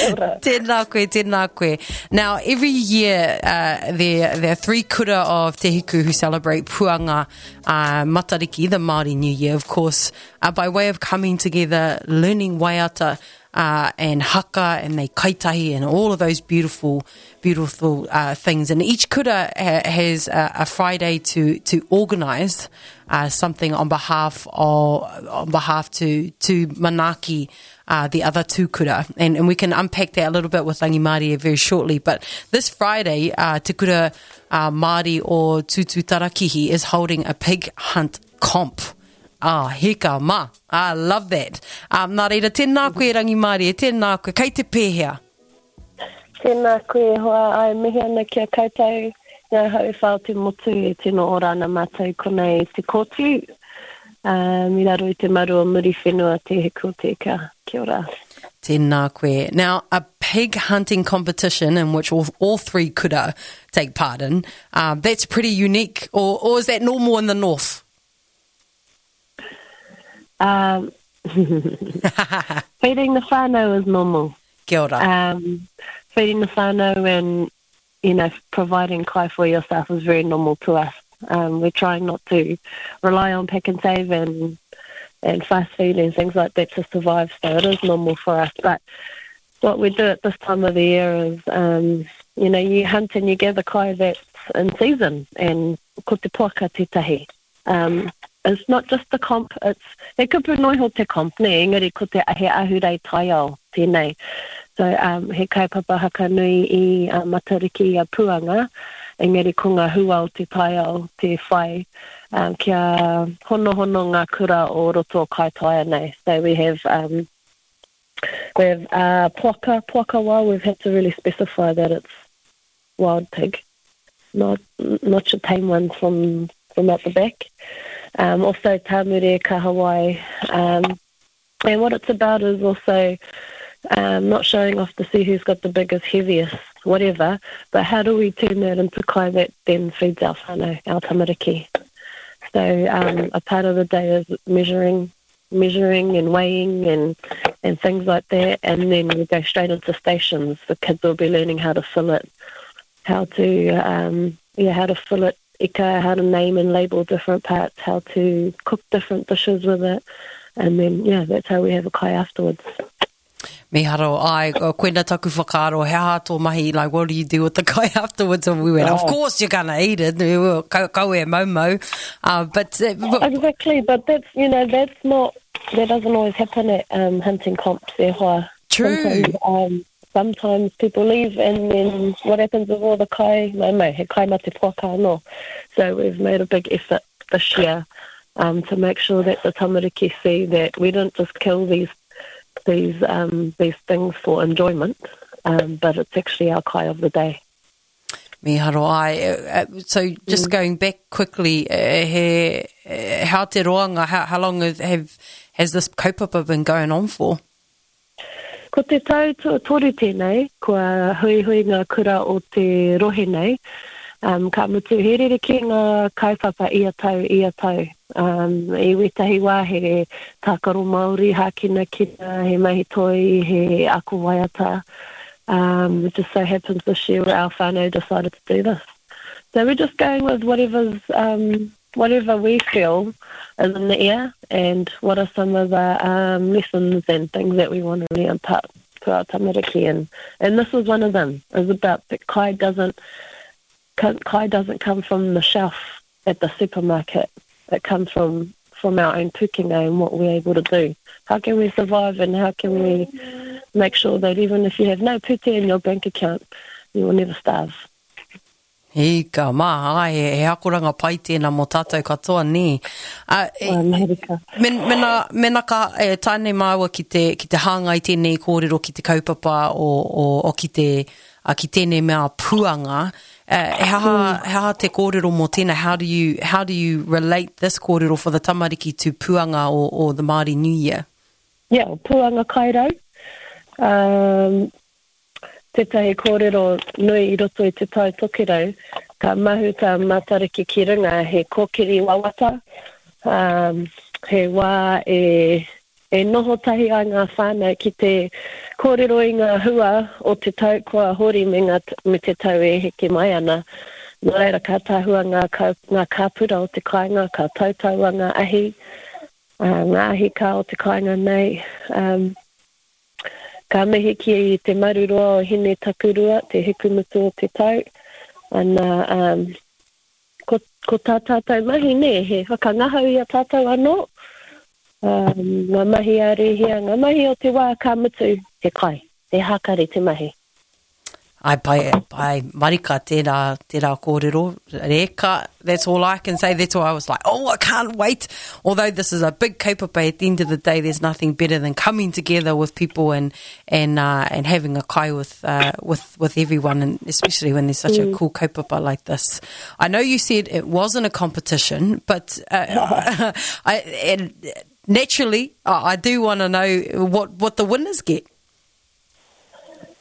Kia ora. Tēnā koe, tēnā koe. Now, every year, uh, there, there are three kura of Te Hiku who celebrate Puanga uh, Matariki, the Māori New Year, of course, uh, by way of coming together, learning waiata, uh, and haka and they kaitahi and all of those beautiful, beautiful uh, things. And each kura ha has a, a Friday to, to organize uh, something on behalf of, on behalf to, to manaaki uh, the other two kura. And, and we can unpack that a little bit with Rangimarie very shortly. But this Friday, uh, Te Kura uh, Māori o Tutu Tarakihi is holding a pig hunt comp. Ah, heka ma. I love that. Um, nā reira, tēnā koe Rangimarie, tēnā koe. Kei te pēhea? Tēnā koe e hoa, ai mihi ana ki a koutou ngā hau wha o te motu e tino ora ana mātou konei i te kōtiu, um, i raro i te maru o Muriwhenua Te Hiku o Te Ika. Kia ora. Tēnā koe. Now, a pig hunting competition in which all, all three kura take part in, um, that's pretty unique, or, or is that normal in the north? Um, feeding the whānau is normal. Kia ora. Um, feeding the whānau and, you know, providing kai for yourself is very normal to us. Um, we're trying not to rely on pack and save and and fast food and things like that to survive, so it is normal for us. But what we do at this time of the year is, um, you know, you hunt and you gather kai that's in season, and ko te poaka tētahi. Um, it's not just the comp, it's, he kupu noa iho te comp, nē, engari ko te he ahurei taiao tēnei. So, um, he kaupapa haka nui i uh, Matariki i a Puanga, engari ko ngā hua o te taiao te whai um, kia honohono ngā kura o roto o Kaitaia nei. So we have, um, we have uh, poaka, poaka wild, we've had to really specify that it's wild pig, not, not your tame ones from, from out the back. Um, also Tāmure, Kahawai. Um, and what it's about is also um, not showing off to see who's got the biggest, heaviest, whatever, but how do we turn that into kai that then feeds our whānau, our tamariki. So um, a part of the day is measuring measuring and weighing and, and things like that. And then we go straight into stations. The kids will be learning how to fillet, how to, um, yeah, how to fillet ika, how to name and label different parts, how to cook different dishes with it. And then, yeah, that's how we have a kai afterwards. Miharo, ai, koina taku whakaaro, he aha tō mahi, like, what do you do with the kai afterwards? And we went, oh. of course you're gonna eat it, kau, kau e mau mau. Uh, but, uh, but, Exactly, but that's, you know, that's not, that doesn't always happen at um, hunting comps, e hoa. True. Sometimes, um, sometimes people leave and then what happens with all the kai, mai mai, he kai mate poaka anō. So we've made a big effort this year um, to make sure that the tamariki see that we don't just kill these these um, these things for enjoyment, um, but it's actually our kai of the day. Miharo ai. Eh, eh, so just mm. going back quickly, eh, he, how te roanga, how, how long have, has this kaupapa been going on for? Ko te tau tuatoru tēnei, kua huihui ngā kura o te rohe nei, um, ka mutu he rerekē ngā kaupapa ia tau, ia tau. Um, I wētahi wā he tākaro Māori, hākinakina, he mahi toi, he ako waiata. Um, it just so happens this year our whānau decided to do this. So we're just going with whatever's, um, whatever we feel is in the air and what are some of the um, lessons and things that we want to really impart to our tamariki. And, and this was one of them. It was about that kai doesn't, kai doesn't come from the shelf at the supermarket. It comes from, from our own pūkenga and what we're able to do. How can we survive and how can we make sure that even if you have no pūtea in your bank account, you will never starve. Hika mā, ai, he, he akoranga pai tēnā mō tātou katoa, nē. Uh, e, Amerika. Men, mena, mena ka e, tae nei māua ki te, ki te hāngai tēnei kōrero ki te kaupapa o, o, o ki te, a, ki tēnei mea puanga, uh, he aha, mm. he aha te kōrero mō tēnā? How do you, how do you relate this kōrero for the tamariki to puanga or, or the Māori New Year? Yeah, puanga kairau. Um, Tētahi kōrero nui i roto i Te Tai Tokerau, ka mahuta Matariki ki runga he kōkiri wawata, ā, he wā e, E noho tahi ai ngā whānau ki te kōrero i ngā hua o te tau kua hori me ngā, me te tau e heke mai ana. Nō reira, ka tahua ngā kau, ngā kāpura o te kāinga, ka tautaua ngā ahi, ā, ngā ahi kā o te kāinga nei. Um, ka mihi ki te maru roa o Hine Takurua, te hikumutu o te tau. Ana, um, Ko, ko tā tātou mahi, nē, he whakangahau i a tātou anō, um, ngā mahi a rēhia, ngā mahi o te wā ka mutu, he kai, he hākari te mahi. Ai, pai, pai, marika, tērā, tērā kōrero, reka, that's all I can say, that's why I was like, oh, I can't wait. Although this is a big kaupapa, at the end of the day, there's nothing better than coming together with people and, and, uh, and having a kai with, uh, with, with everyone, and especially when there's such mm. a cool kaupapa like this. I know you said it wasn't a competition, but uh, I, and naturally, I, I do want to know what, what the winners get.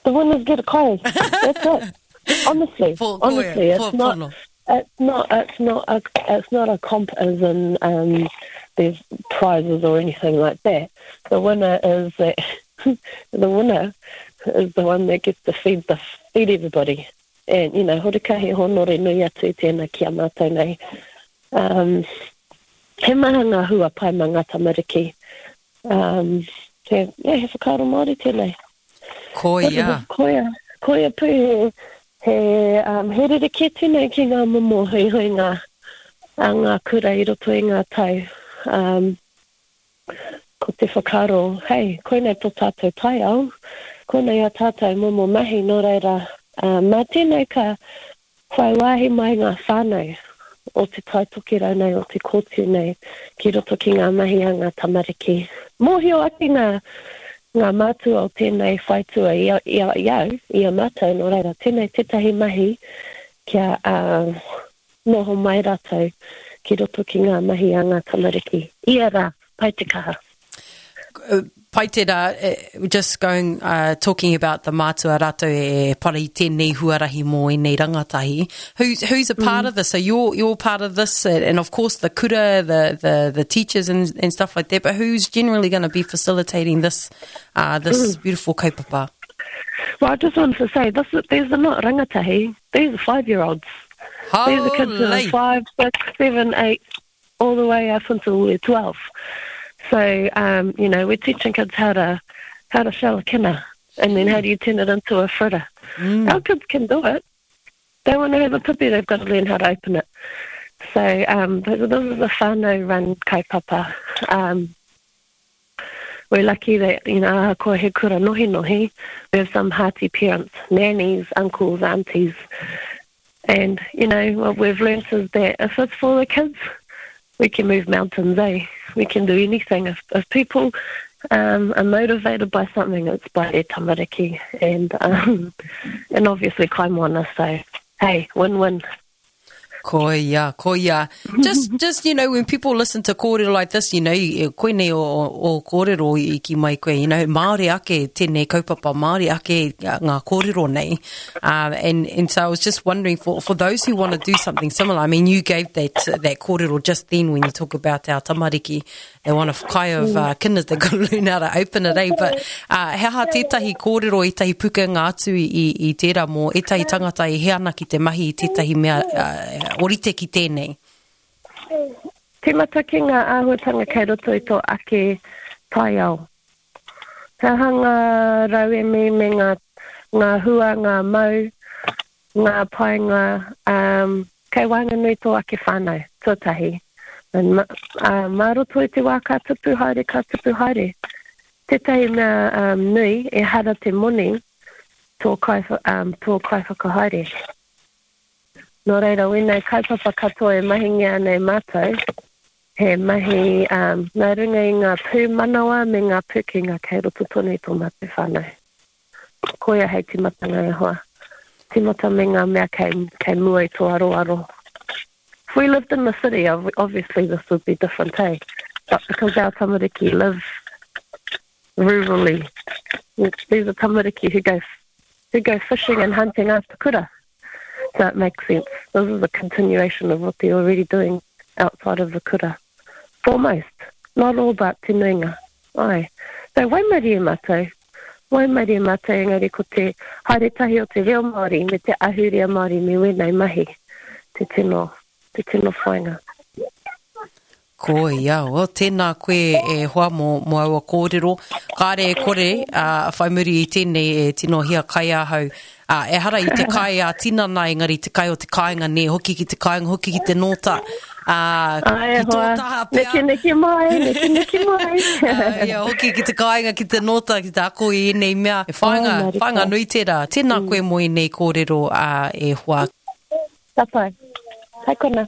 The winners get a kai. That's it. Honestly, for, honestly, it's for, not. It's not. It's not a. It's not a comp as in um, there's prizes or anything like that. The winner is that the winner is the one that gets to feed the feed everybody. And you know, horekahi honore nui atu tēnā ki a mātou nei. Um, he maha ngā hua pai mā ngā tamariki. Um, he, yeah, he whakaaro Māori tēnei. Koia. Koia. Koia pū he, he, um, he rerekē tēnei ki ngā momo huihuinga a ngā kura i roto i ngā tau. Um, ko te whakaaro, hei, koinei tō tātou taiao, koinei a tātou momo mahi, nō reira, um, mā tēnei ka whai wāhi mai ngā whānau o Te Tai Tokerau nei, o Te Kōtiu nei, ki roto ki ngā mahi a ngā tamariki. Mōhio ake ngā, ngā mātua o tēnei whaitua i a, i a, i au, i a mātou, nō reira, tēnei tētahi mahi kia uh, noho mai rātou ki roto ki ngā mahi a ngā tamariki. Ia rā, pai te kaha. Pai te rā, just going, uh, talking about the mātua rātou e para i tēnei huarahi mō ēnei rangatahi. Who's, who's a part mm. of this? So you're, you're part of this, and of course the kura, the, the, the teachers and, and stuff like that, but who's generally going to be facilitating this, uh, this mm. beautiful kaupapa? Well, I just wanted to say, this, these are not rangatahi, these are five-year-olds. These are kids who are five, six, seven, eight, all the way up until we're 12. So, um, you know, we're teaching kids how to, how to shell a kina and then how do you turn it into a fritter. Mm. Our kids can do it. They want to have a pipi, they've got to learn how to open it. So um, this is a whānau run kaupapa. Um, we're lucky that, you know, ahakoa he kura nohi nohi, we have some hearty parents, nannies, uncles, aunties. And, you know, what we've learnt is that if it's for the kids, we can move mountains, eh? We can do anything. If, if people um, are motivated by something, it's by their tamariki and, um, and obviously kaimoana. So, hey, win-win. Koia, koia. Just, just, you know, when people listen to kōrero like this, you know, koinei o, o kōrero i ki mai koe, you know, Māori ake tēnei kaupapa, Māori ake ngā kōrero nei. Um, and, and so I was just wondering for, for those who want to do something similar, I mean, you gave that, that kōrero just then when you talk about our tamariki, they want a kai of mm. uh, kinders, they've got to learn how to open it, eh? But uh, he aha tētahi kōrero, ētahi pukenga atu i, i, i tērā mō ētahi tangata e he ana ki te mahi i tētahi mea uh, orite ki tēnei? Tīmata ki ngā āhuatanga kei roto i tō ake taiao. He aha ngā rauemi me ngā, ngā hua, ngā mau, ngā painga, um, kei waenganui tō ake whānau, tuatahi. And, ma, uh, mā roto i te wā ka tupu haere, ka tupu haere. Tētahi mea um, nui, ehara te moni tō, kai, um, tō kaiwhakahaere. Nō reira, wēnei kaupapa katoa e mahingia ana e mātou, He mahi nā runga i ngā pūmanawa me ngā pūkenga kei roto tonu i tō mātou whānau. Koia hei tīmatanga e hoa. Tīmata me ngā mea kei, kei mua i tō aroaro. If we lived in the city, obviously this would be different, eh? But because our tamariki live rurally, these are tamariki who go, who go fishing and hunting after kura. So it makes sense. This is a continuation of what they're already doing outside of the kura. For most. Not all, but te nuinga. Ai. So waimarie mātou. Waimarie mātou engari ko te haere tahi o te reo Māori me te ahurea Māori me wēnei mahi te tino, te tino whainga. Koia, oh, tēnā koe e hoa mō, mō aua kōrero. Kāre e kore, ā, whai muri i tēnei e tino hiakai ahau. Ā, ehara i te kai ā tinana engari te kai o te kāinga nē, hoki ki te kāinga, hoki ki te nōta. Ā, Ai, ki tō taha pea. Neke neke mai, neke neke mai. Ā, ia, hoki ki te kāinga, ki te nōta, ki te ako i ēnei mea. E whāinga, oh, whāinga nui tērā. Tēnā mm. koe mō ēnei kōrero, ā, e hoa. Ka pai. Hai kona.